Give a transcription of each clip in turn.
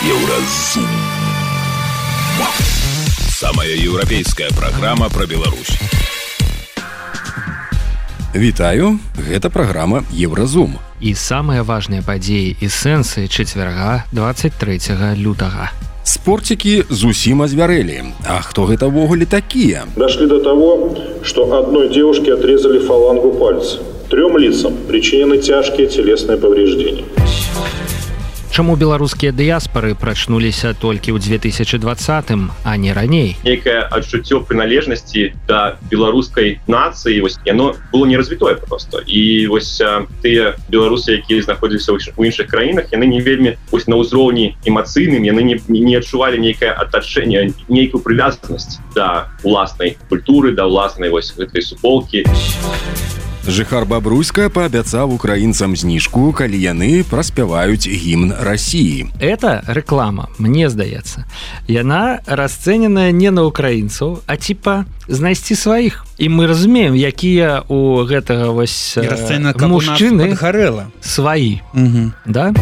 Еўразум. Самая еўрапейская праграма пра Беларусь. Вітаю, гэта праграма Еўразум. І самыя важныя падзеі і сэнсы чацвярга 23 лютага. Спорцікі зусім азвярэлі. А хто гэта ўвогуле такія? Дошли до того, что одной девушке отрезали фалангу пальца. 3 лицам причинены тяжкие телесные повреждения. Чаму беларускія дыяспары прачнуліся толькі ў 2020-м, а не раней? Некае адчуццё прыналежнасці да беларускай нацыі, яно было не развітое проста. І тыя беларусы, якія знаходзіліся ў іншых краінах, яны не вельмі на ўзроўні эмацыйным, яны не адчувалі нейкае атачэнне, нейкую прывязанасць да уласнай культуры, да уласнай гэтай суполкі. Жыхар Бабруйска паабяцаў украінцам зніжку, калі яны праспяваюць гімн Расіі. Это рэклама, мне здаецца. Яна расцэненая не на украінцаў, а знайсці сваіх. І мы разумеем, якія у гэтага мужчыны сваі. Да?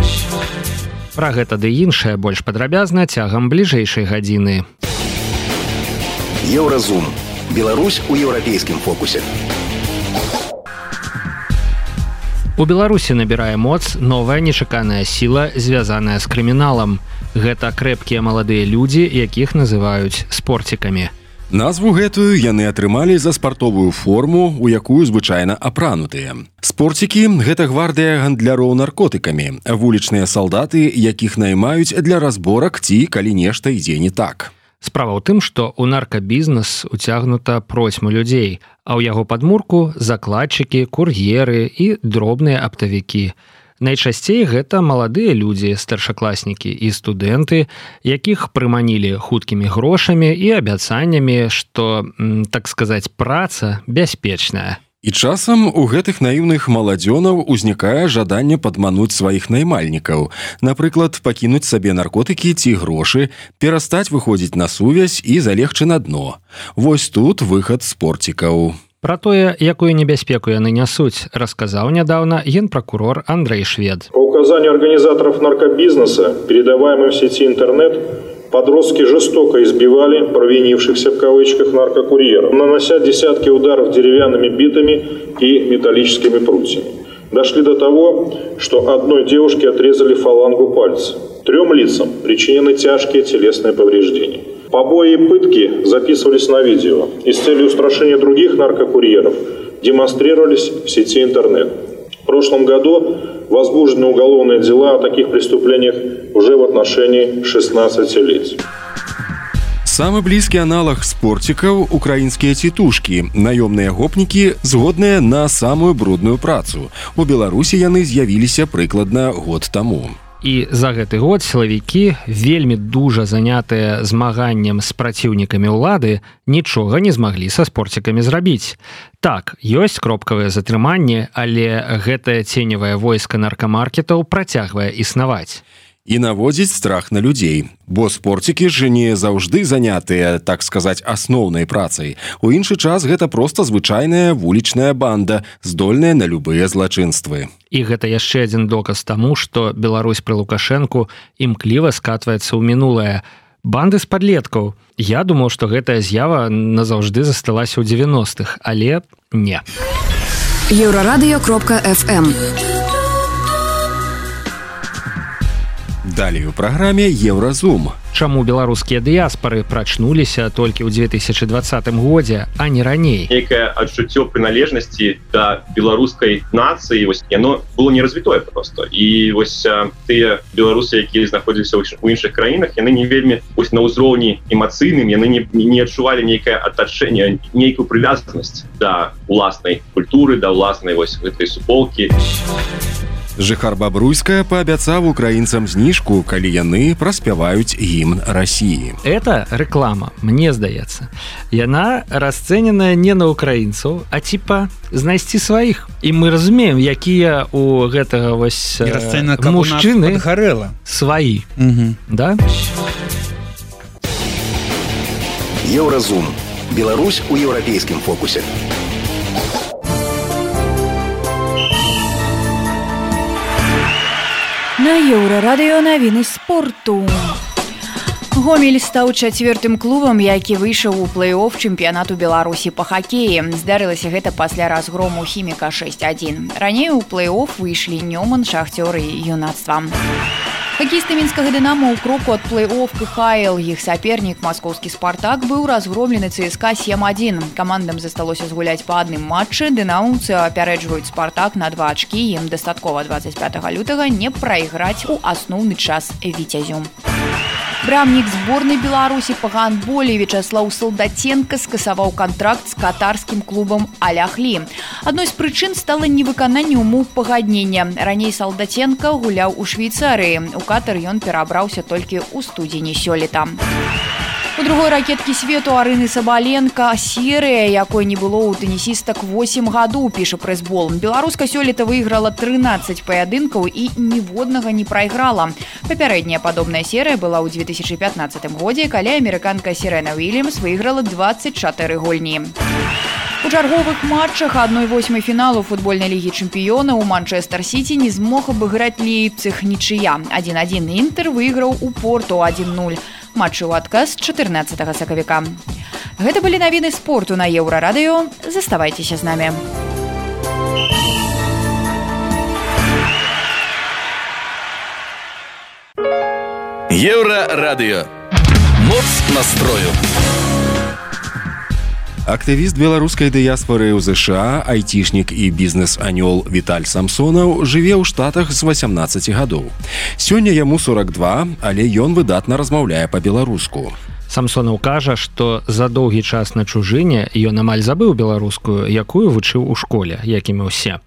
Пра гэта ды іншае больш падрабязна цягам бліжэйшай гадзіны. Еўразум. Беларусь у еўрапейскім фокусе. У Беларусі набірае моц новая нечаканая сіла, звязаная з крыміналам. Гэта крэпкія маладыя людзі, якіх называюць спорцікамі. Назву гэтую яны атрымалі за спартовую форму, у якую звычайна апранутыя. Спорцікі – гэта гвардыя гандляроў наркотыкамі, вулічныя салдаты, якіх наймаюць для разборак ці калі нешта ідзе не так. Справа ў тым, што ў наркабізнес уцягнута процьма людзей, а ў яго падмурку закладчыкі, кур'еры і дробныя аптавікі. Найчасцей гэта маладыя людзі, старшакласнікі і студэнты, якіх прыманілі хуткімі грошамі і абяцаннямі, што, так сказаць, праца бяспечная. І часам у гэтых наіўных маладзёнаў узнікае жаданне падмануць сваіх наймальнікаў. Напрыклад, пакінуць сабе наркотыкі ці грошы, перастаць выходзіць на сувязь і залегчы на дно. Вось тут выхад спорцікаў. Пра тое, якую небяспеку яны нясуць, расказаў нядаўна генпракурор Андрей Швед. По указанию организаторов наркобизнеса, передаваемым в сети интернет, подростки жестоко избивали провинившихся в кавычках наркокурьеров, нанося десятки ударов деревянными битами и металлическими прутьями. Дошли до того, что одной девушке отрезали фалангу пальца. 3 лицам причинены тяжкие телесные повреждения. Побои и пытки записывались на видео и с целью устрашения других наркокурьеров демонстрировались в сети интернет. В прошлом году возбуждены уголовные дела о таких преступлениях уже в отношении 16 лиц. Самы блізкі аналаг спорцікаў – украінскія цітушкі, наёмныя гопнікі, згодныя на самую брудную працу. У Беларусі яны з'явіліся прыкладна год таму. І за гэты год сілавікі, вельмі дужа занятыя змаганнем з праціўнікамі ўлады, нічога не змаглі са спорцікамі зрабіць. Так, ёсць кропкавыя затрыманні, але гэтае ценевае войска наркамаркетаў працягвае існаваць. І наводзіць страх на людзей. Бо спорцікі ж не заўжды занятыя, так сказаць, асноўнай працай. У іншы час гэта проста звычайная вулічная банда, здольная на любыя злачынствы. І гэта яшчэ адзін доказ таму, што Беларусь пры Лукашэнку імкліва скатваецца ў мінулае. Банды з падлеткаў. Я думаў, што гэтая з'ява назаўжды засталася ў 90-х, але не. Еўрарадыё.фм. Далей у праграме Еўразум. Чаму беларускія дыяспары прачнуліся толькі ў 2020 годзе, а не раней? Некае адчуццё прыналежнасці да беларускай нацыі, яно было не развітое проста. І тыя беларусы, якія знаходзіліся ў іншых краінах, яны не вельмі на ўзроўні эмацыйным, яны не адчувалі нейкае атачэнне, нейкую прывязанасць да уласнай культуры, да уласнай гэтай суполкі. Жыхар Бабруйска паабяцаў украінцам зніжку, калі яны праспяваюць гімн Расіі. Это рэклама, мне здаецца. Яна расцэненая не на украінцаў, а знайсці сваіх. І мы разумеем, якія у гэтага мужчыны сваі. Да? Еўразум. Беларусь у еўрапейскім фокусе. На Еўрарадыё навіны спорту. Гомель стаў чацвёртым клубам, які выйшаў у плэй-офф чэмпіянату Беларусі па хакеі. Здарылася гэта пасля разгрому Хіміка 6-1. Раней у плэй-офф выйшлі Нёман, Шахцёр і Юнацтва. Хакеісты мінскага «Дынамо» ў кроку ад плэй-офф КХЛ. Іх сапернік, маскоўскі «Спартак», быў разгромлены ЦСКА 7-1. Камандам засталося згуляць па адным матчы. Дынамаўцы апярэджваюць «Спартак» на 2 ачкі. Ім дастаткова 25 лютага не прайграць у асноўны час «Віцязю». Брамнік зборнай Беларусі па гандболе Вячаслаў Салдаценка скасаваў кантракт з катарскім клубам «Аль-Ахлі». Адной з прычын стала невыкананне умоў пагаднення. Раней Салдаценка гуляў у Швейцарыі. У Катар ён перабраўся толькі ў студзені сёлета. У другой ракеткі свету Арыны Сабаленко серыя, якой не было ў тэнісістак 8 гадоў, піша прэсбол. Беларуска сёлета выйграла 13 паядынкаў і ніводнага не прайграла. Папярэдняя падобная серыя была ў 2015 годзе, калі амерыканка Серена Уильямс выйграла 24 гульні. У чарговых матчах 1/8 фіналу футбольнай лігі чэмпіёнаў Манчэстэр Сіці не змог абыграць Лейпциг, нічыя. 1-1 Інтэр выйграў у Порту 1-0. Матчы ў адказ 14 сакавіка. Гэта былі навіны спорту на Еўрарадыё. Заставайцеся з намі. Еўрарадыё. Моц настрою. Актывіст беларускай дыяспоры ў ЗША, айцішнік і бізнес-анёл Віталь Самсонаў жыве ў Штатах з 18 гадоў. Сёння яму 42, але ён выдатна размаўляе па-беларуску. Самсонаў кажа, што за доўгі час на чужыне ён амаль забыў беларускую, якую вучыў у школе, як і мы ўсе.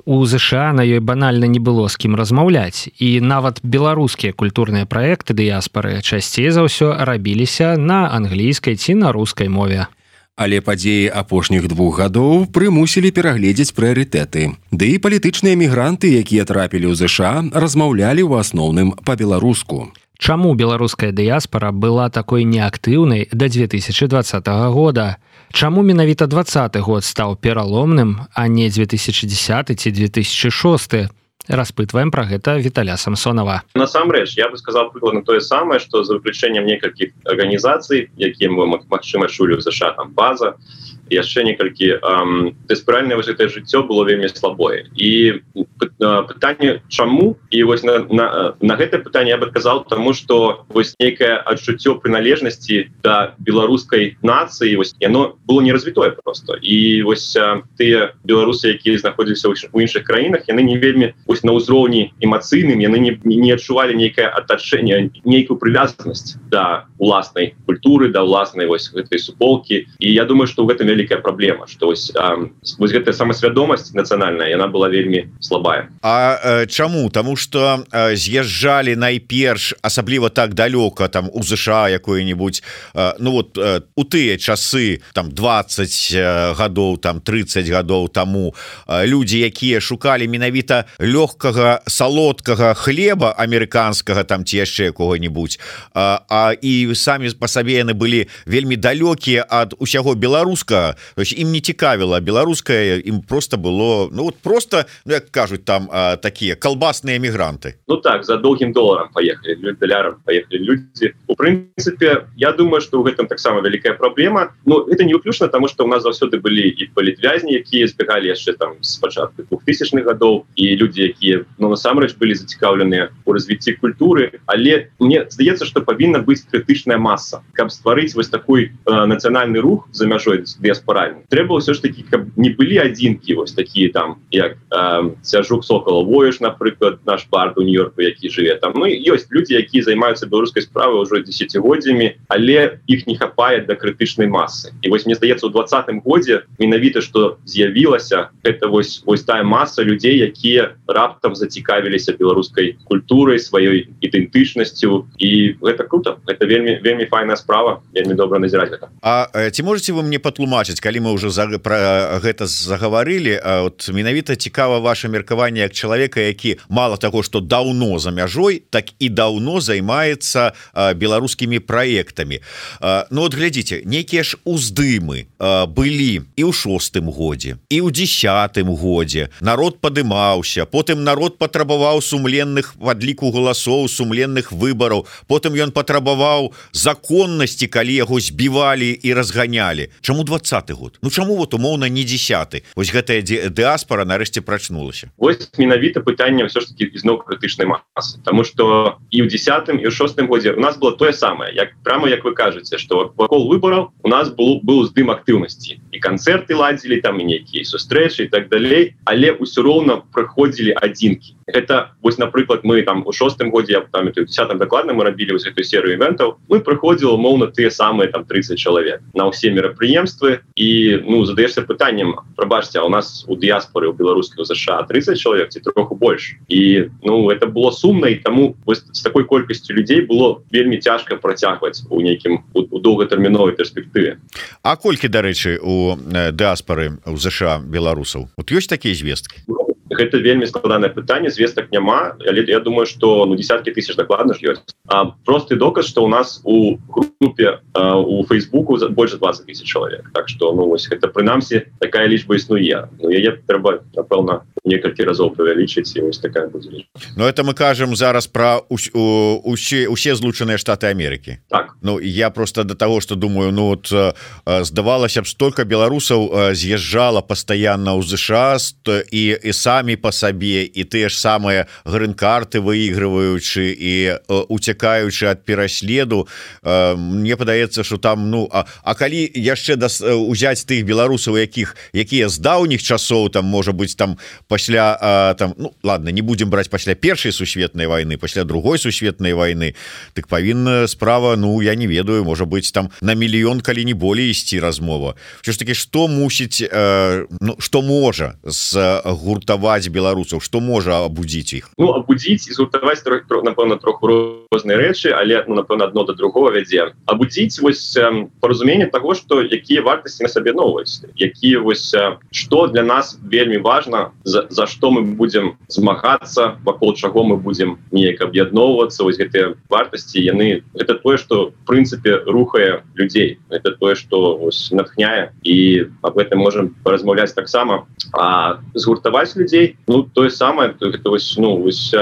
У ЗША на ёй банальна не было з кім размаўляць, і нават беларускія культурныя праекты дыяспары часцей за ўсё рабіліся на англійскай ці на рускай мове. Але падзеі апошніх 2 гадоў прымусілі перагледзець прыярытэты. Ды і палітычныя мігранты, якія трапілі ў ЗША, размаўлялі ў асноўным па-беларуску. Чаму беларуская дыяспара была такой неактыўнай да 2020 года? Чаму менавіта 2020 год стаў пераломным, а не 2010 ці 2006? Распытваем пра гэта Віталя Самсонава. Насамрэч, я бы сказал прыкладна тое самае, што за выключэннем некалькіх арганізацый, якія мы, магчыма, чулі ў ЗША, там база, яшчэ некалькі дыспіральнае вось гэтае жыццё было вельмі слабое. І пытанне чаму? І вось на гэтае пытанне я бы адказаў, таму што вось нейкае адчуццё прыналежнасці да беларускай нацыі, вось яно было неразвітое проста. І вось тыя беларусы, якія знаходзіліся ў іншых краінах, яны не вельмі на ўзроўні эмацыйным, яны не адчувалі нейкае атачэнне, нейкую прывязанасць да уласнай культуры, да уласнай вось гэтай суполкі. І я думаю, што ў гэтым вялікая праблема, што вось гэтая самасвядомасць нацыянальная, яна была вельмі слабая. А чаму? Таму што з'язджалі найперш, асабліва так далёка, там у ЗША якое-нибудь, ну вот у тыя часы, там 20 гадоў, там 30 гадоў таму, людзі, якія шукалі менавіта лёгкага салодкага хлеба амерыканскага, там ці яшчэ якога-нибудь, і самі па сабе яны былі вельмі далёкія ад усяго беларускага. То есть ім не цікавіла беларускае, ім просто было, ну вот просто, ну як кажуць там такія калбасныя мігранты. Ну так, за доўгім доларам паехалі, далярам паехалі людзі. У прынцыпе, я думаю, што ў гэтым таксама вялікая праблема. Ну, гэта не выключна, таму што ў нас заўсёды былі і палітвязні, якія збегалі яшчэ там з пачатку 2000-х гадоў, і людзі, якія, ну, насамрэч былі зацікаўленыя ў развіцці культуры, але мне здаецца, што павінна быць крытычная маса. Каб стварыць вось такой нацыянальны рух за мяжой дыяспаральны, трэба ўсё ж такі, каб не былі адзінкі вось такія там, як Сяржук Соколаў Воеш, напрыклад, наш бард у Нью-Йорку, які жыве там. Ну, ёсць людзі, якія займаюцца беларускай справай ўжо дзесяцігоддзямі, але іх не хапае да крытычнай масы. І вось мне здаецца, у 2020 годзе менавіта, што з'явілася, гэта вось тая маса людзей, якія раптам зацікавіліся беларускай культурай, сваёй ідэнтычнасцю, і гэта круто. Гэта вельмі файная справа, вельмі добра назіраць гэта. А ці можаце вы мне патлумачыць, растлумачыць, калі мы ўжо пра гэта загаварылі, от менавіта цікава ваше меркаванне як чалавека, які мала таго, што даўно за мяжой, так і даўно займаецца беларускімі праектамі. Ну от глядзіце, нейкія ж уздымы былі і ў 6-м годзе, і ў 10-м годзе. Народ падымаўся, потым народ патрабаваў сумленных падліку галасоў, сумленных выбараў, потым ён патрабаваў законнасці, калі яго збівалі і разганялі. Чаму 20-й год? Ну чаму вот умоўна не 10-й? Вось гэтая дыаспора нарэшце прачнулася. Вось менавіта пытанне ўсё ж таки ізноў крытычнай масы, тому что і ў 10-м і ў 6-м годзе у нас было тое самае, прямо як вы кажаце, што вакол выбараў у нас быў уздым актыўнасці, і канцэрты ладзілі там, і нейкія сустрэчы і так далей, але ўсё роўна прыходзілі адзінкі. Это вось, напрыклад, мы там у 6-м годзе, я памятаю, у 10-м дакладна мы рабілі вось гэтую серыю івентаў, мы прыходзілі умоўна тыя самыя там 30 чалавек на ўсе мерапрыемствы, і ну задаешся пытаннем, прабачце, а у нас у дыяспоры у беларускай у США 30 чалавек ці троху больш, і ну это было сумна, і таму вось з такой колькасцю людзей было вельмі цяжка працягваць у нейкім у доўгатэрміновай перспектыве. А колькі, дарэчы, у дыаспары у США беларусаў? Вот ёсць такія звесткі? Гэта вельмі складанае пытанне, звестак няма, але я думаю, што ну десяткі тысяч дакладна ж ёсць. Просты доказ, што у нас у групе у Фейсбуку больш за 20 000 чалавек. Так што ну вось гэта прынамсі такая лічба існуе. Ну яе трэба, напэўна, некалькі разоў павялічыць, і вось такая будзе лічба. Ну это мы кажам зараз пра усе злучаныя Штаты Амерыкі. Так. Ну я просто да таго, што думаю, ну вот здавалася б, столькі беларусаў з'язджала пастаянна ў ЗША і самі по сабе, і тыя ж самыя грын-карты выигрываючы і уцякаючы ад пераследу. Мне падаецца, што там ну а калі яшчэ узяць тых беларусаў, якія з даўніх часоў, там можа быць там пасля там, ну ладно, не будем браць пасля першай сусветнай вайны, пасля другой сусветнай вайны, так павінна справа, ну я не ведаю, можа быць там на мільён, калі не болей ісці размова. Ўсё ж таки, што мусіць, ну што можа згуртаваць беларусаў, што можа абудзіць іх? Ну абудзіць і згуртаваць, напэўна, троху розныя рэчы, але ну напэўна адно да другого вядзе. Абудзіць вось паразуменне таго, што якія вартасці на сабе новыя, якія вось што для нас вельмі важна, за што мы будзем змагацца, вакол чаго мы будзем неяк аб'ядноўвацца. Вось гэтыя вартасці, яны гэта тое, што в прынцыпе рухае людзей, это тое, што вось натхняе, і аб гэтым можам паразмаўляць таксама. А згуртаваць людзей, ну тое самае, гэта вось ну вось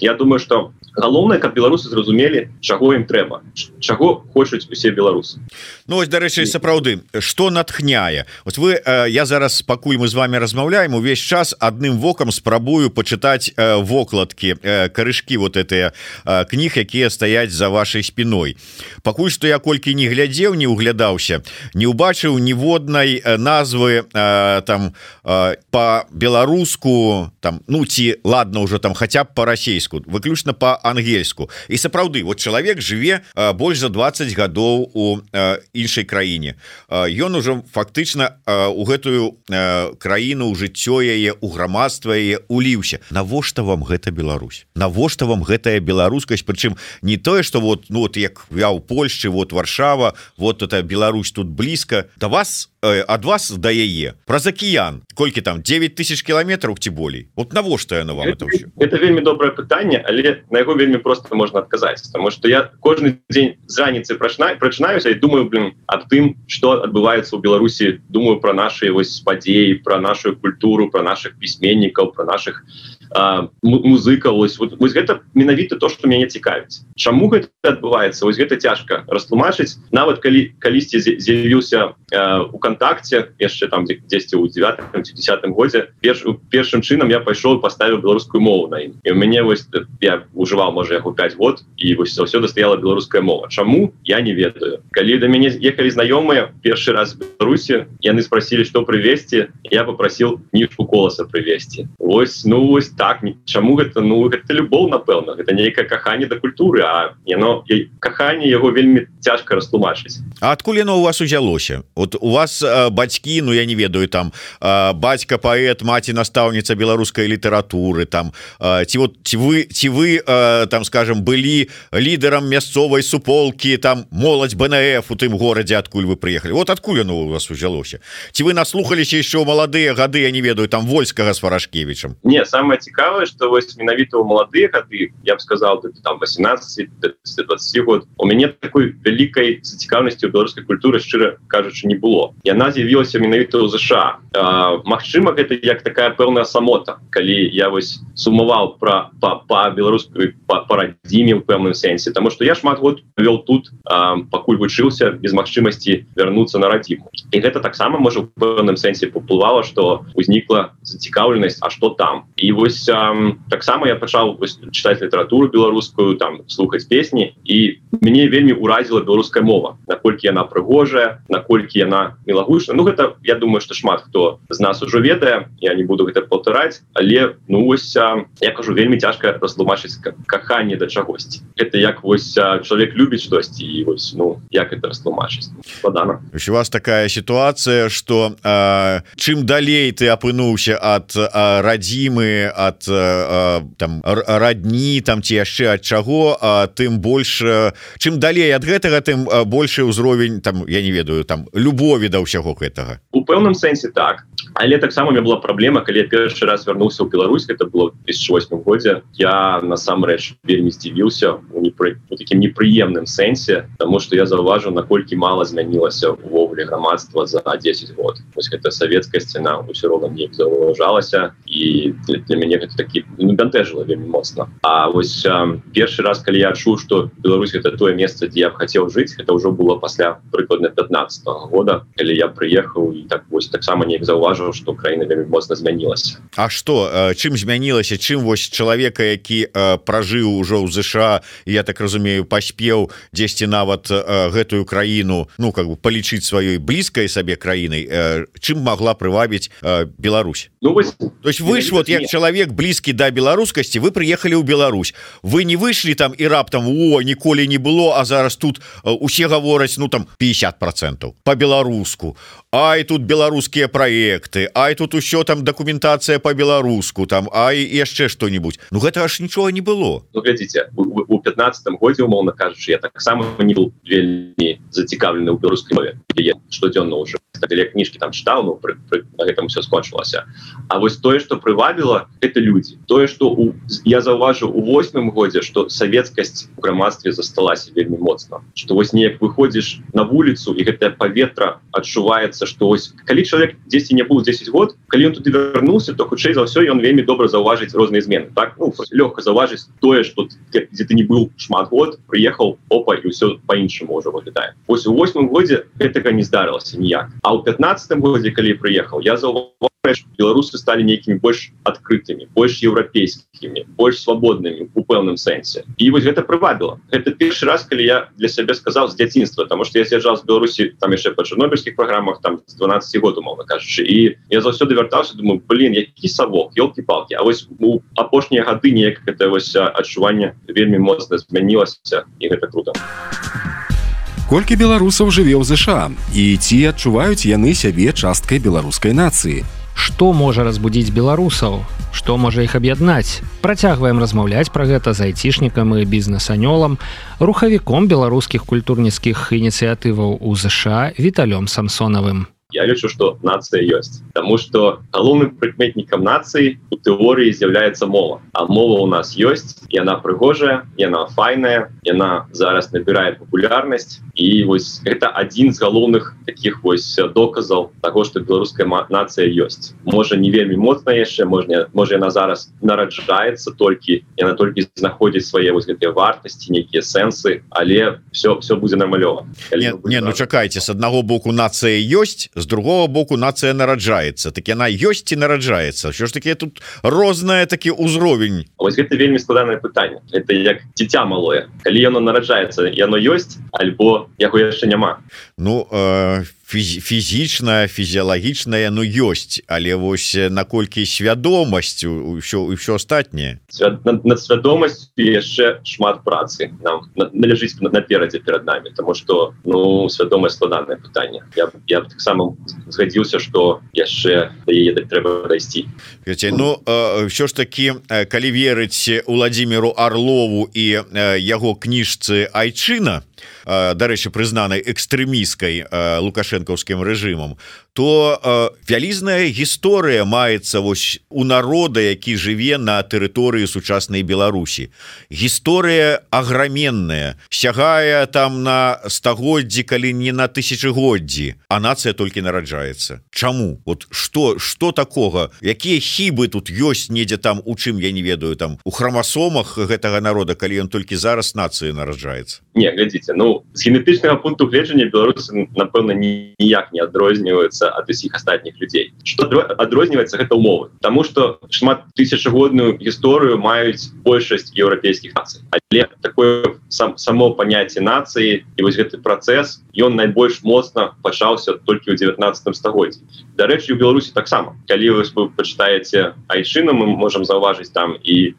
я думаю, што галоўнае, каб беларусы зразумелі, чаго ім трэба, чаго хочуць усе беларусы. Ну вось, дарэчы, сапраўды, што натхняе? Вось вы, я зараз, пакуль мы з вами размаўляем, увесь час адным вокам спрабую пачытаць вокладкі, карышкі вот гэтыя кніг, якія стаяць за вашай спіной. Пакуль што я колькі не глядзеў, не углядаўся, не ўбачыў ніводнай назвы там па-беларуску, там, ну ці ладно ўжо там хаця б па-расейску, выключна па-ангельску. І сапраўды, вот чалавек жыве больш за 20 гадоў у іншай краіне. Ён ужо фактычна у гэтую краіну, у жыццё яе, у грамадства яе уліўся. Навошта вам гэта Беларусь? Навошта вам гэтая беларускасць? Прычым не тое, што вот, ну, вот як я ў Польшчы, вот Варшава, вот это Беларусь тут блізка. Да вас, ад вас да яе праз акіян колькі там 9000 кіламетраў ці болей. Вот навошта яно вам это ўсё? Это вельмі добрае пытанне, але на яго вельмі проста можна адказаць, потому что я кожны дзень з раніцы прачынаюся і думаю, аб тым, што адбываецца ў Беларусі, думаю пра нашы вось падзеі, пра нашу культуру, пра нашых пісьменнікаў, пра нашых музыкаў. Вось гэта менавіта то, што мяне цікавіць. Чаму гэта адбываецца? Вось гэта цяжка растлумачыць. Нават калісьці з'явіўся у Контакце, яшчэ там дзесьці ў 9-м ці 10-м годзе, першым чынам я пайшоў і паставіў беларускую мову на ім. І ў мяне вось я ужываў, можа, яго 5 год, і вось заўсёды стаяла беларуская мова. Чаму? Я не ведаю. Калі да мяне ехалі знаёмыя першы раз в Беларусі, яны спросілі, што прывезці, я папрасіў кніжку Коласа прывезці. Вось, ну вось так, чаму гэта? Ну гэта любоў, напэўна, гэта нейкае каханне да культуры, а яно каханне яго вельмі цяжка растлумачыць. А адкуль яно у вас узялося? Вот у вас вас бацькі, ну я не ведаю, там бацька паэт, маці настаўніца беларускай літаратуры, там ці вы там скажем былі лідарам мясцовай суполкі, там моладзь БНФ у тым горадзе, адкуль вы прыехалі, вот адкуль оно у вас узялося, ці вы наслухаліся еще ў маладыя гады, я не ведаю, там Вольскага с Варашкевічем? Не, самое цікавае, что вось менавіта ў маладыя гады, я б сказал, там 18-20 год, у мяне такой вялікай зацікаўнасці ў беларускай культуры, шчыра кажучы, не было. Яна з'явілася менавіта ў ЗША. Магчыма, гэта як такая пэўная самота, калі я вось сумаваў па беларускай парадзіме ў пэўным сэнсе, таму што я шмат год вёл тут, пакуль вучыўся без магчымасці вярнуцца на радзіму. І гэта таксама можа ў пэўным сэнсе паўплывала, што узнікла зацікаўленасць, а што там. І вось таксама я пачаў чытаць літаратуру беларускую, там слухаць песні, і мяне вельмі ўразіла беларуская мова, наколькі яна прыгожая, наколькі яна мілагучная. Ну гэта, я думаю, што шмат хто з нас ужо ведае, я не буду гэта паўтараць, але ну вось я кажу, вельмі цяжка растлумачыць каханне да чагосьці. Гэта як вось чалавек любіць штосьці, і вось ну як гэта растлумачыць? Складана. У вас такая сітуацыя, што чым далей ты апынуўся ад радзімы, ад там радні, там ці яшчэ ад чаго, тым больш, чым далей ад гэтага, тым большы ўзровень, там я не ведаю, там любові да ўсяго гэтага. У пэўным сэнсе так, але таксама у меня была праблема, калі я першы раз вярнуўся ў Беларусь, гэта было в 2008 годзе, я насамрэч вельмі здзівіўся у такім непрыемным сэнсе, таму што я заўважыў, наколькі мала змянілася увогуле грамадства за 10 год. Вось гэта савецкая сцяна ўсё роўна неяк заўважалася, і для мяне гэта такі бянтэжыла вельмі моцна. А вось першы раз, калі я адчуў, што Беларусь гэта тое месца, дзе я б хацеў жыць, гэта ўжо было пасля прыкладна 15-го года, калі я прыехаў і так вось таксама неяк заўважыў, што краіна вельмі моцна змянілася. А што, чым змянілася, чым вось чалавека, які пражыў ужо ў ЗША, я так разумею, паспеў дзесьці нават гэтую краіну, ну как бы палічыць сваёй блізкай сабе краінай, чым магла прывабіць Беларусь? Ну вось, то есть вы ж вот як чалавек блізкі да беларускасці, вы прыехалі ў Беларусь, вы не выйшлі там і раптам ніколі не было, а зараз тут усе гавораць, ну там 50% по-беларуску, ай тут беларускія праекты, ай тут усё там дакументацыя по-беларуску, там ай яшчэ што-нибудь. Ну гэта аж нічога не было. Ну глядзіце, у 15-м годзе, умоўна кажучы, я таксама не быў вельмі зацікаўлены ў беларускай мове, я штодзённа ўжо кніжкі там чытаў, ну на гэтым все скончылася. А вось тое, што прывабіла, это людзі. Тое, што я заўважыў у 8-м годзе, што савецкасць у грамадстве засталася вельмі моцна. Што вось неяк выходзіш на вуліцу, і гэтае паветра адчуваецца, што вось калі чалавек дзесьці не быў 10 год, калі ён туды вярнуўся, то хутчэй за ўсё ён вельмі добра заўважыць розныя змены. Так, ну лёгка заўважыць тое, што дзе ты не быў шмат год, прыехаў, опа, і ўсё па-іншаму ўжо выглядае. Вось у 8-м годзе гэтага не здарылася ніяк. А ў 15-м годзе, калі прыехаў, я заўважыў, што беларусы сталі нейкімі больш адкрытымі, больш еўрапейскімі, больш свабоднымі у пэўным сэнсе. І вось гэта прывабіла. Гэта першы раз, калі я для сябе сказаў з дзяцінства, таму што я з'язджаў з Беларусі там яшчэ па чарнобыльскіх праграмах, там з 12 год, умоўна кажучы. І я заўсёды вяртаўся, думаю, які савок, ёлкі-палкі. А вось у апошнія гады неяк гэта вось адчуванне вельмі моцна змянілася, і гэта круто. Колькі беларусаў жыве ў ЗША, і ці адчуваюць яны сябе часткай беларускай нацыі? Што можа разбудзіць беларусаў? Што можа іх аб'яднаць? Працягваем размаўляць пра гэта з айцішнікам і бізнес-анёлам, рухавіком беларускіх культурніцкіх ініцыятываў у ЗША Віталём Самсонавым. Я лічу, што нацыя ёсць. Таму што галоўным прыкметнікам нацыі у тэорыі з'яўляецца мова. А мова ў нас ёсць, яна прыгожая, яна файная, яна зараз набірае папулярнасць. І вось гэта адзін з галоўных такіх вось доказаў таго, што беларуская нацыя ёсць. Можа, не вельмі моцна яшчэ, можа яна зараз нараджаецца толькі, яна толькі знаходзіць свае вось гэтыя вартасці, нейкія сэнсы, але все будзе нармалёва. Не, ну чакайце, з аднаго боку нацыя ёсць, з другого боку нацыя нараджаецца. Так яна ёсць ці нараджаецца? Що ж такі тут рознае такі ўзровень? Вось гэта вельмі складанае пытанне. Это як дзіця малое. Калі яно нараджаецца, яно ёсць, альбо яго яшчэ няма. Ну фізічная, фізіялагічная, ну ёсць, але вось наколькі свядомасць ўсё астатняе. Над свядомасцю яшчэ шмат працы нам належыць наперадзе перад нами, тому што ну свядомасць складанае пытанне. Я б таксама згадзіўся, што яшчэ да яе трэба дайсці. Ну ўсё ж такі, калі верыць Уладзіміру Арлову і яго кніжцы «Айчына», дарэчы, прызнанай экстрэмісткай лукашэнкаўскім рэжымам, то вялізная гісторыя маецца вось у народа, які жыве на тэрыторыі сучаснай Беларусі. Гісторыя аграменная, сягае там на стагоддзі, калі не на тысячагоддзі, а нацыя толькі нараджаецца. Чаму? Вот што такога? Якія хібы тут ёсць недзе там, у чым, я не ведаю, там у храмасомах гэтага народа, калі ён толькі зараз нацыі нараджаецца? Не, глядзіце, ну з генетычнага пункту гледжання беларусы, напэўна, ніяк не адрозніваюцца ад усіх астатніх людзей. Што адрозніваецца, гэта ўмовы. Таму што шмат тысячагодную гісторыю маюць большасць еўрапейскіх нацый. Але такое само паняцце нацыі і вось гэты працэс, ён найбольш моцна пачаўся толькі ў 19 стагоддзі. Дарэчы, у Беларусі таксама. Калі вы пачытаеце «Айчыну», мы можам заўважыць там і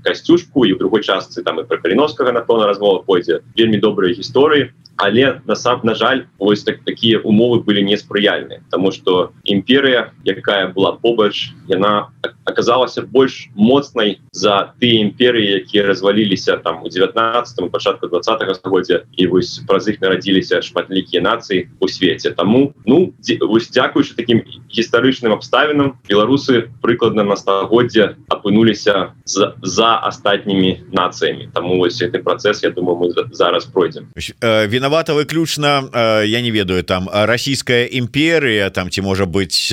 Касцюшку, і ў другой частцы там і пра Каліновскага, напэўна, размова пойдзе. Вельмі добрыя гісторыі, але на жаль, вось такія умовы былі неспрыяльныя, таму што імперыя, якая была побач, яна аказалася больш моцнай за тыя імперыі, якія разваліліся там у 19-м, пачатку 20-го стагоддзя, і вось праз іх нарадзіліся шматлікія нацыі ў свеце. Таму, ну, вось дзякуючы такім гістарычным абставінам, беларусы прыкладна на стагоддзе апынуліся за астатнімі нацыямі. Таму вось гэты працэс, я думаю, мы зараз пройдзем. Вінавата выключна, я не ведаю, там расійская імперія, там ці можа быць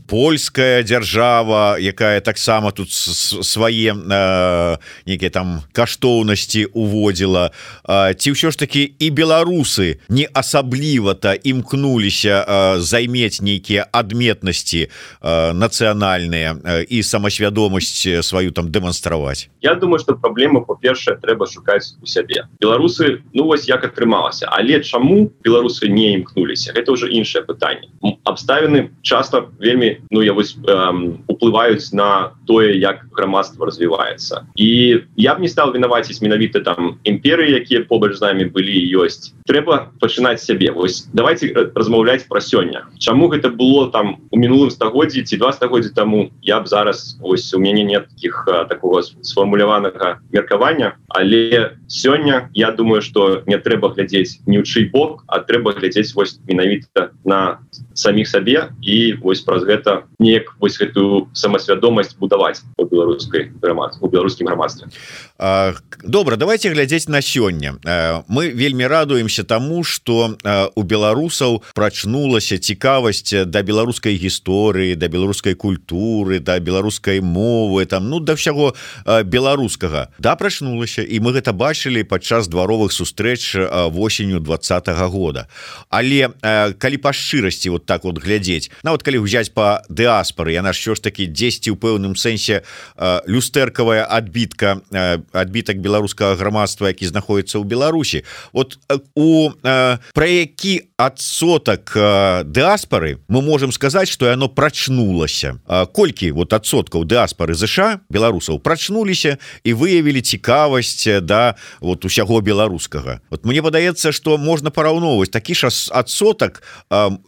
польская дзяржава, якая таксама тут свае нейкія там каштоўнасці уводзіла, ці ўсё ж такі і беларусы не асабліва-то імкнуліся займець нейкія адметнасці нацыянальныя і самасвядомасць сваю там дэманстраваць? Я думаю, што праблема, па-першае, трэба шукаць у сябе. Беларусы, ну вось як атрымалася, але чаму беларусы не імкнуліся? Гэта ўжо іншае пытанне. Абставіны часта вельмі, ну я вось уплываюць на тое, як грамадства развіваецца. І я б не стал вінаваціць менавіта там імперыі, якія побач з намі былі і ёсць. Трэба пачынаць сябе. Вось давайте размаўляць пра сёння. Чаму гэта было там у мінулым стагоддзі ці 2 стагоддзі таму, я б зараз, вось у мяне нет такого сфармуляванага меркавання, але сёння я думаю, што не трэба глядзець ні ў чый бок, а трэба глядзець вось менавіта на саміх сабе і вось праз гэта неяк вось гэтую самасвядомасць будаваць у беларускім грамадстве. Добра, давайте глядзець на сёння. Мы вельмі радуемся таму, што у беларусаў прачнулася цікавасць да беларускай гісторыі, да беларускай культуры, да беларускай мовы, там, ну, да ўсяго беларускага. Да, прачнулася, і мы гэта бачылі падчас дваровых сустрэч восенню 20-го года. Але калі па шчырасці вот так вот глядзець, нават калі ўзяць па дыаспары, яна ж ўсё ж такі дзесьці ў пэўным сэнсе люстэркавая адбітак беларускага грамадства, які знаходіцца ў Беларусі. Вот пра які адсотак дыаспары мы можам сказаць, што яно прачнулася? Колькі вот адсоткаў дыаспары ЗША, беларусаў, прачнуліся і выявілі цікавасць да вот усяго беларускага? Вот мне падаецца, што можна параўноўваць такі ж адсотак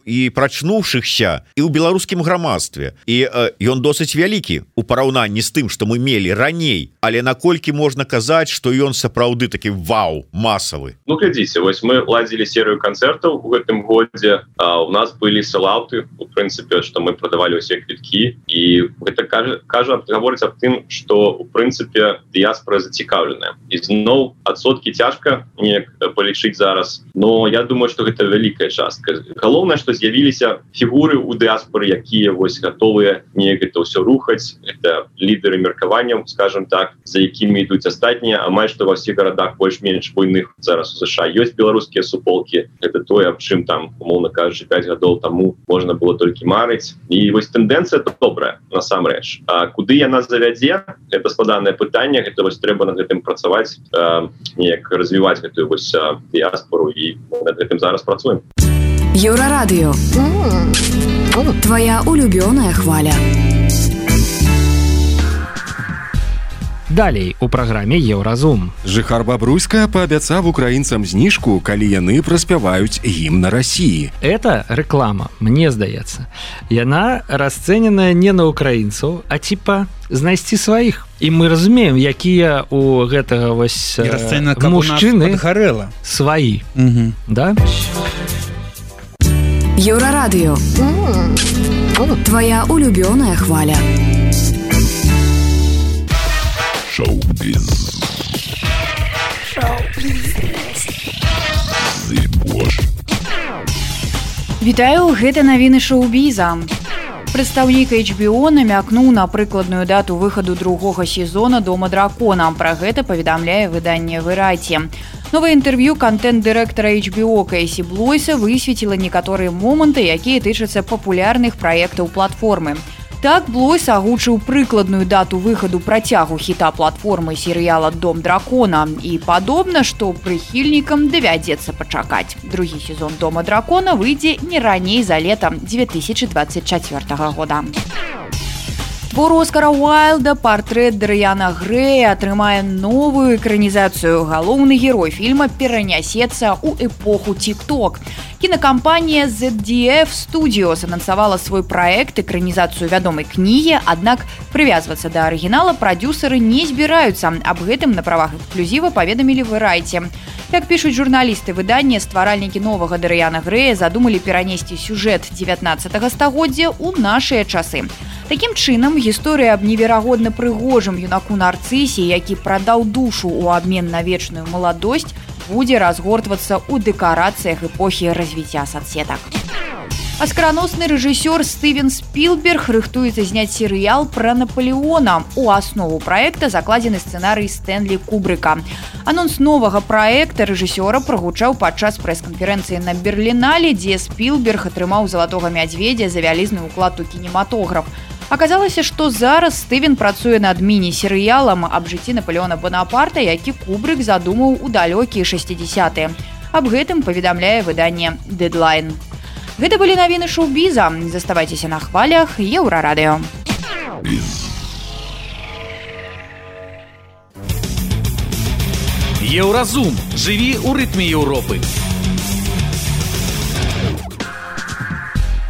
і прачнуўшыхся і ў беларускім грамадстве. І ён досыць вялікі у параўнанні з тым, што мы мелі раней, але наколькі можна казаць, што ён сапраўды такі вау, масавы? Ну, глядзіце, вось мы ладзілі серыю канцэртаў у гэтым годзе, у нас былі селауты, у прынцыпе, што мы прадавалі ўсе квіткі, і гэта гаворыць аб тым, што у прынцыпе дыяспара зацікаўленая. І зноў адсоткі цяжка неяк палічыць зараз, но я думаю, што гэта вялікая частка. Галоўнае, што з'явіліся фігуры ў дыаспоры, якія вось гатовыя неяк гэта ўсё рухаць. Это лідеры меркавання, скажем так, за якімі ідуць астатнія. Амаль што ва ўсіх гарадах больш-менш буйных зараз у США ёсць беларускія суполкі. Это тое, аб чым там, умоўна кажучы, 5 гадоў таму можна было толькі марыць. І вось тэндэнцыя добрая, насамрэч. А куды яна завядзе? Это складанае пытанне, гэта вось трэба над гэтым працаваць, неяк развіваць гэтую вось дыаспору, і над гэтым зараз працуем. Еўрарадыё. Твоя улюбёная хваля. Далей у праграме Еўразум. Жыхар Бабруйска паабяцаў украінцам зніжку, калі яны праспяваюць гімн Расіі. Это рэклама, мне здаецца. Яна расцэненая не на украінцаў, а типа знайсці сваіх. І мы разумеем, якія у гэтага вось мужчыны сваі. Да? Еўрарадыё. Твоя улюбёная хваля. Шоу-біз. Вітаю, гэта навіны шоу-біза. Прадстаўнік HBO намякнуў на прыкладную дату выхаду другога сезона «Дома дракона». Пра гэта паведамляе выданне «Вэрайці». Новае інтэрв'ю кантэнт-дырэктара HBO Кейсі Блойса высветліла некаторыя моманты, якія тычацца папулярных праектаў платформы. Так, Блойс агучыў прыкладную дату выхаду працягу хіта платформы серыяла «Дом дракона». І падобна, што прыхільнікам давядзецца пачакаць. Другі сезон «Дома дракона» выйдзе не раней за летам 2024 года. Твор Оскара Уайлда «Партрэт Дарыяна Грэя» атрымае новую экранізацыю. Галоўны герой фільма перанясецца ў эпоху TikTok. Кінакампанія ZDF Studios анансавала свой праект, экранізацыю вядомай кнігі, аднак прывязвацца да арыгінала прадюсеры не збіраюцца. Аб гэтым на правах эксклюзіва паведамілі «Вэрайці». Як пішуць журналісты выдання, стваральнікі новага Дарыяна Грэя задумалі перанесці сюжэт 19 стагоддзя ў нашыя часы. Такім чынам, гісторыя аб неверагодна прыгожым юнаку Нарцысе, які прадаў душу ў абмен на вечную маладосць, будзе разгортвацца ў дэкарацыях эпохі развіцця соцсетак. Аскараносны рэжысёр Стывен Спілберг рыхтуецца зняць серыял пра Напалеона. У аснову праекта закладзены сцэнарый Стэнлі Кубрыка. Анонс новага праекта рэжысёра прагучаў падчас прэс-канферэнцыі на Берлінале, дзе Спілберг атрымаў залатога мядзведзя за вялізны ўклад у кінематограф. Аказалася, што зараз Стывен працуе над міні-серыялам аб жыцці Напалеона Бонапарта, які Кубрык задумаў у далёкія 60-е. Аб гэтым паведамляе выданне «Дэдлайн». Гэта былі навіны шоу-біза. Заставайцеся на хвалях Еўрарадыё. Еўразум. Жыві ў рытме Еўропы.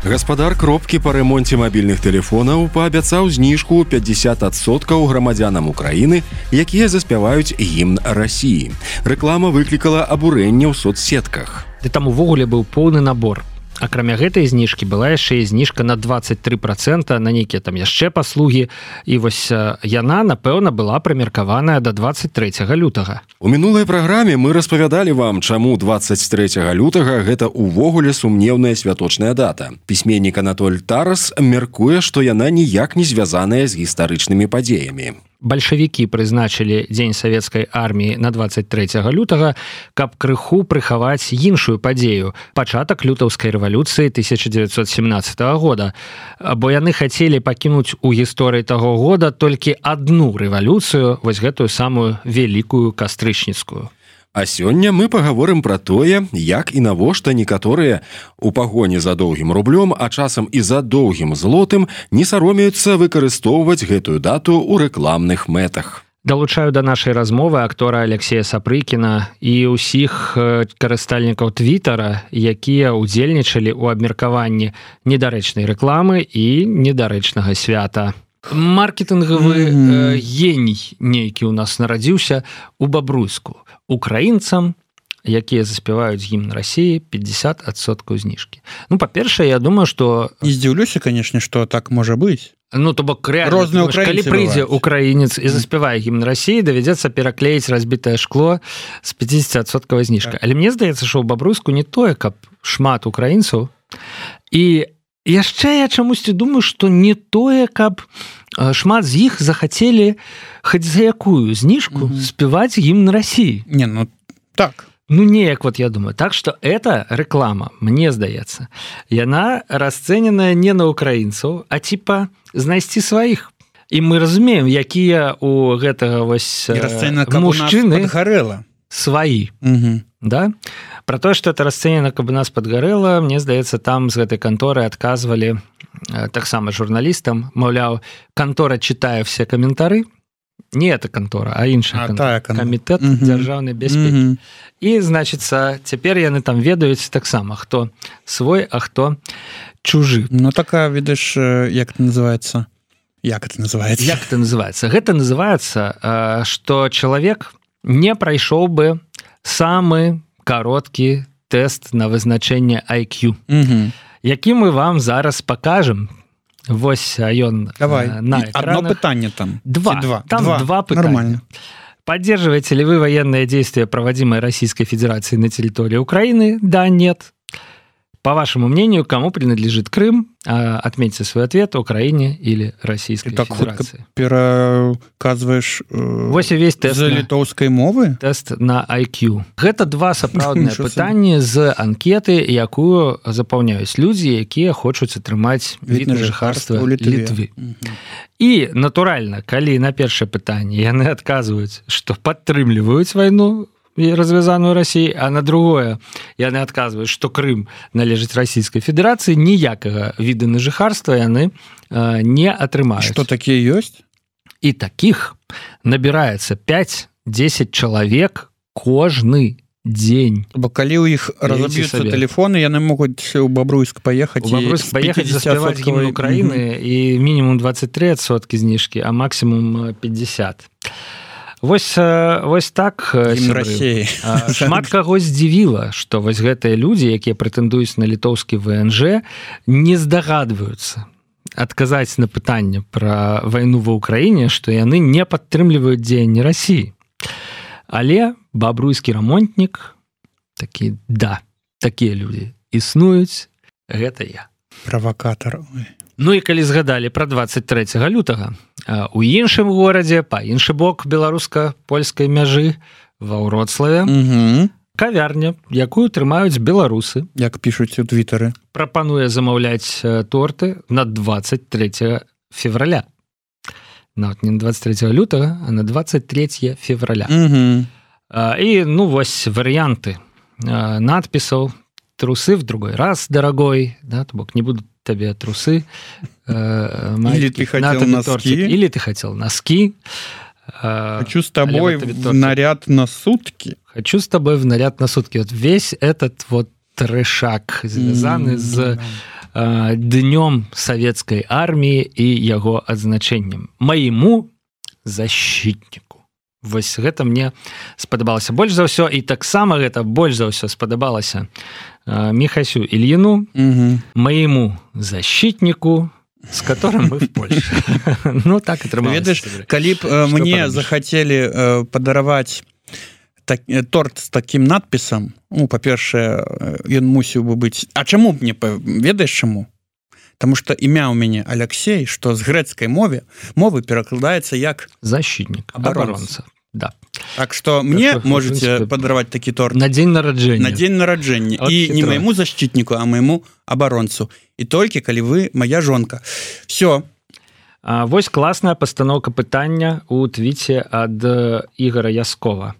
Гаспадар кропкі па рамонце мабільных тэлефонаў паабяцаў зніжку 50% грамадзянам Украіны, якія заспяваюць гімн Расіі. Рэклама выклікала абурэнне ў соцсетках. Ды там увогуле быў поўны набор. Акрамя гэтай зніжкі была яшчэ і зніжка на 23% на нейкія там яшчэ паслугі. І вось яна, напэўна, была прымеркаваная да 23 лютага. У мінулай праграме мы распавядалі вам, чаму 23 лютага гэта ўвогуле сумнеўная святочная дата. Пісьменнік Анатоль Тарас мяркуе, што яна ніяк не звязаная з гістарычнымі падзеямі. Бальшавікі прызначылі дзень савецкай арміі на 23 лютага, каб крыху прыхаваць іншую падзею – пачатак лютаўскай рэвалюцыі 1917 года. Бо яны хацелі пакінуць у гісторыі таго года толькі адну рэвалюцыю, вось гэтую самую вялікую кастрычніцкую. А сёння мы пагаворым пра тое, як і навошта некаторыя у пагоні за доўгім рублём, а часам і за доўгім злотым не саромеюцца выкарыстоўваць гэтую дату ў рэкламных мэтах. Далучаю да нашай размовы актора Алексея Сапрыкіна і ўсіх карыстальнікаў Твітара, якія ўдзельнічалі ў абмеркаванні недарэчнай рэкламы і недарэчнага свята. Маркетынгавы геній нейкі ў нас нарадзіўся у Бабруйску. Украінцам, якія заспяваюць гімн Расіі, 50% зніжкі. Ну, па-першае, я думаю, што... Не здзіўлюся, канешне, што так можа быць. Ну, то бок, реально, калі прыйдзе украінец і заспявае гімн Расіі, давядзецца пераклеіць разбітае шкло з 50% зніжкай. Але мне здаецца, што ў Бабруйску не тое, каб шмат украінцаў, і яшчэ я чамусьці думаю, што не тое, каб шмат з іх захацелі хоць за якую зніжку спяваць гімн России. Не, ну так. Ну, неяк, вот я думаю. Так что эта реклама, мне здаецца, яна расцэненая не на украінцаў, а типа знайсці сваіх. І мы разумеем, якія у гэтага вось мужчыны сваі. Да? Про тое, што это расцэнена, каб у нас падгарэла, мне здаецца, там з гэтай канторы адказвалі таксама журналістам, маўляў, кантора читае все каментары. Не эта контора, а іншая камітэт дзяржаўнай бяспекі. І, значыцца, цяпер яны там ведаюць таксама, хто свой, а хто чужы. Ну, такая, видишь, як это называется? Як это называется? Як это называется? Гэта называется, што чалавек не прайшоў бы самы кароткі тэст на вызначэнне IQ, які мы вам зараз пакажем. Вось ён на экранах. Одно пытанне там. Два пытания. Нормально. Поддерживаете ли вы военные действия, проводимые Российской Федерацией на территории Украины? Да, нет. По вашему мнению, кому принадлежит Крым? Отметьте свой ответ: Украине или Российской Федерации. Пераказваеш весь тест за літоўскай мовы? Тест на IQ. Гэта два сапраўдныя пытанні з анкеты, якую запаўняюць людзі, якія хочуць атрымаць від на жыхарства Літвы. І, натуральна, калі на першае пытанне яны адказваюць, што падтрымліваюць вайну развязаную Россией, а на другое яны адказваюць, што Крым належыць Российской Федерации, ніякага віда на жыхарства яны не атрымаюць. Што такія ёсць? І такіх набіраецца 5-10 чалавек кожны дзень. Бо калі ў іх разаб'юцца тэлефоны, яны могуць у Бабруйск паехаць заспяваць гімн Украіны і мінімум 23% зніжкі, а максімум 50%. Вось так, шмат каго здзівіла, што вось гэтыя людзі, якія прэтэндуюць на літоўскі ВНЖ, не здагадваюцца адказаць на пытанне пра вайну ва Ўкраіне, што яны не падтрымліваюць дзеянні Расіі. Але бабруйскі рамонтнік такі, да, такія людзі існуюць, гэта я. Правакатар. Ну і калі згадалі пра 23 лютага, у іншым горадзе, па іншы бок беларуска-польскай мяжы, ва Вроцлаве, кавярня, якую трымаюць беларусы, як пішуць у твітары, прапануе замаўляць торты на 23 февраля. Нават не на 23 лютага, а на 23 февраля. І, ну, вось варыянты надпісаў: трусы в другой раз, дорогой, да, то бок не будут тебе трусы, или ты хотел носки, или ты хотел носки. Хочу с тобой в наряд на сутки. Хочу с тобой в наряд на сутки. Вот весь этот вот трэшак звязаны з днём советской армии и яго адзначэннем. Моему защитнику. Вось гэта мне спадабалася больш за ўсё, і таксама гэта больш за ўсё спадабалася Михасю Ильину, моему защитнику, с которым мы в Польше. Ну, так атрымалася. Ведаеш, калі б мне захацелі падараваць торт з такім надпісам, ну, па-першае, ён мусіў бы быць... А чаму б не... Ведаеш чаму? Потому что імя у мяне Алексей, што з грэцкай мовы перакладаецца як защитник, абаронца. Да. Так что мне можете падараваць такі торт на дзень нараджэння. На дзень нараджэння. І не майму защитнику, а майму абаронцу. І толькі калі вы моя жонка. Все. Вось класная пастаноўка пытання у твіце ад Игора Яскова.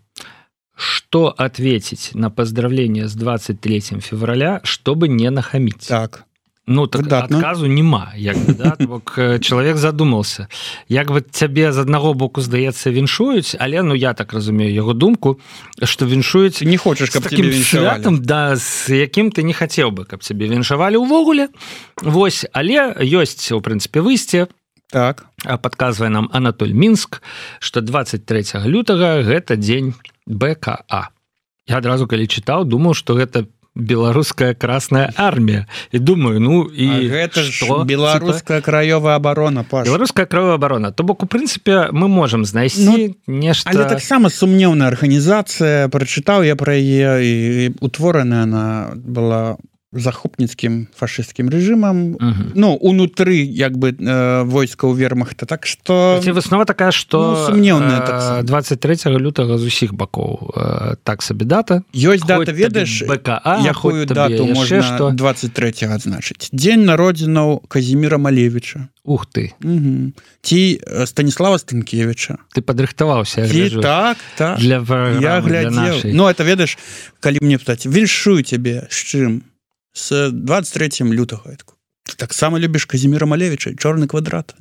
Что ответить на поздравление с 23 февраля, чтобы не нахамить? Так. Ну, так адказу нема, як бы, да? Бок чалавек задумаўся. Як бы цябе з аднаго боку, здаецца, віншуюць, але, ну, я так разумею яго думку, што віншуюць не хочаш, каб цябе віншавалі. Святам, да, з якім ты не хацеў бы, каб цябе віншавалі ўвогуле. Вось, але ёсць, у прынцыпе, выйсце. Так. Падказвае нам Анатоль Мінск, што 23 лютага гэта дзень БКА. Я адразу, калі чытаў, думаў, што гэта беларуская красная армія. І думаю, ну і гэта ж беларуская краёвая абарона, Паш. Беларуская краёвая абарона. То бок, у прынцыпе, мы можам знайсці нешта... Але таксама сумнеўная арганізацыя, прачытаў я пра яе, і утвораная она была захопніцкім фашысцкім рэжымам ну унутры як бы войскаў вермахта так что выснова такая что сумнеўная 23 лютага з усіх бакоў так сабе дата ёсць дата ведаеш якую дату можна что 23 адзначыць дзень народзінаў Казіміра Малевіча Ух ты ці Станіслава Станкевіча ты падрыхтаваўся так для глядзеў ну это ведаеш калі мне пытаць віншую цябе з чым с 23 лютага таксама любіш Казіміра Малевіча чорны квадрат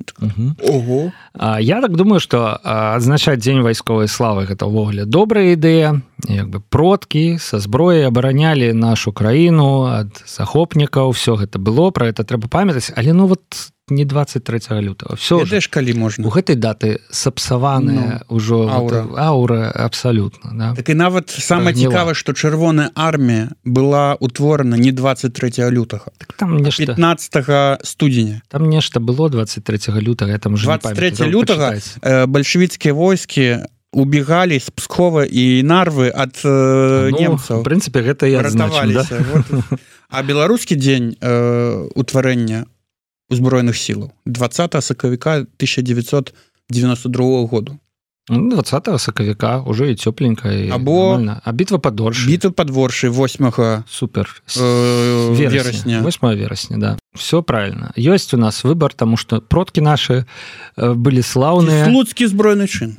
Ого я так думаю что адзначаць дзень вайсковай славы гэта ўвогуле добрая ідэя як бы продкі са зброяй абаранялі нашу краіну ад захопнікаў все гэта было про это трэба памятаць але ну вот не 23 лютого все ж калі можна у гэтай даты сапсаваная ўжо аура абсалютна да? Так і нават самае цікава што чырвоная армія была утворана не 23 лютага так там нешта 15 студзеня там нешта было 23 лютага там 23 лютага бальшавіцкія войскі убегали з Пскова і Нарвы ад немцаў в прынцыпе гэта я адзначым, да? А беларускі дзень утварэння узброеных сілаў 20 сакавіка 1992 году 20 сакавіка уже і цёпленька або бітва пад Оршай 8 супер верасня 8 верасня да все правильно ёсць у нас выбор тому что продкі наши былі слаўныя слуцкі збройны чын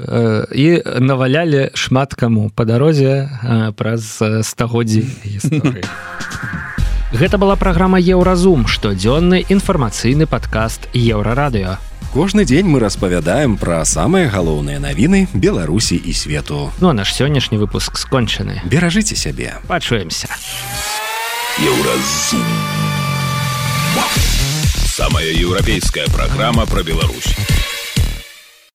і навалялі шмат каму па дарозе праз стагоддзі гісторыі Гэта была праграма Еўразум, штодзённы інфармацыйны падкаст Еўрарадыё. Кожны дзень мы распавядаем пра самыя галоўныя навіны Беларусі і свету. Ну а наш сённяшні выпуск скончаны. Беражыце сябе. Пачуемся. Еўразум. Самая еўрапейская праграма пра Беларусь.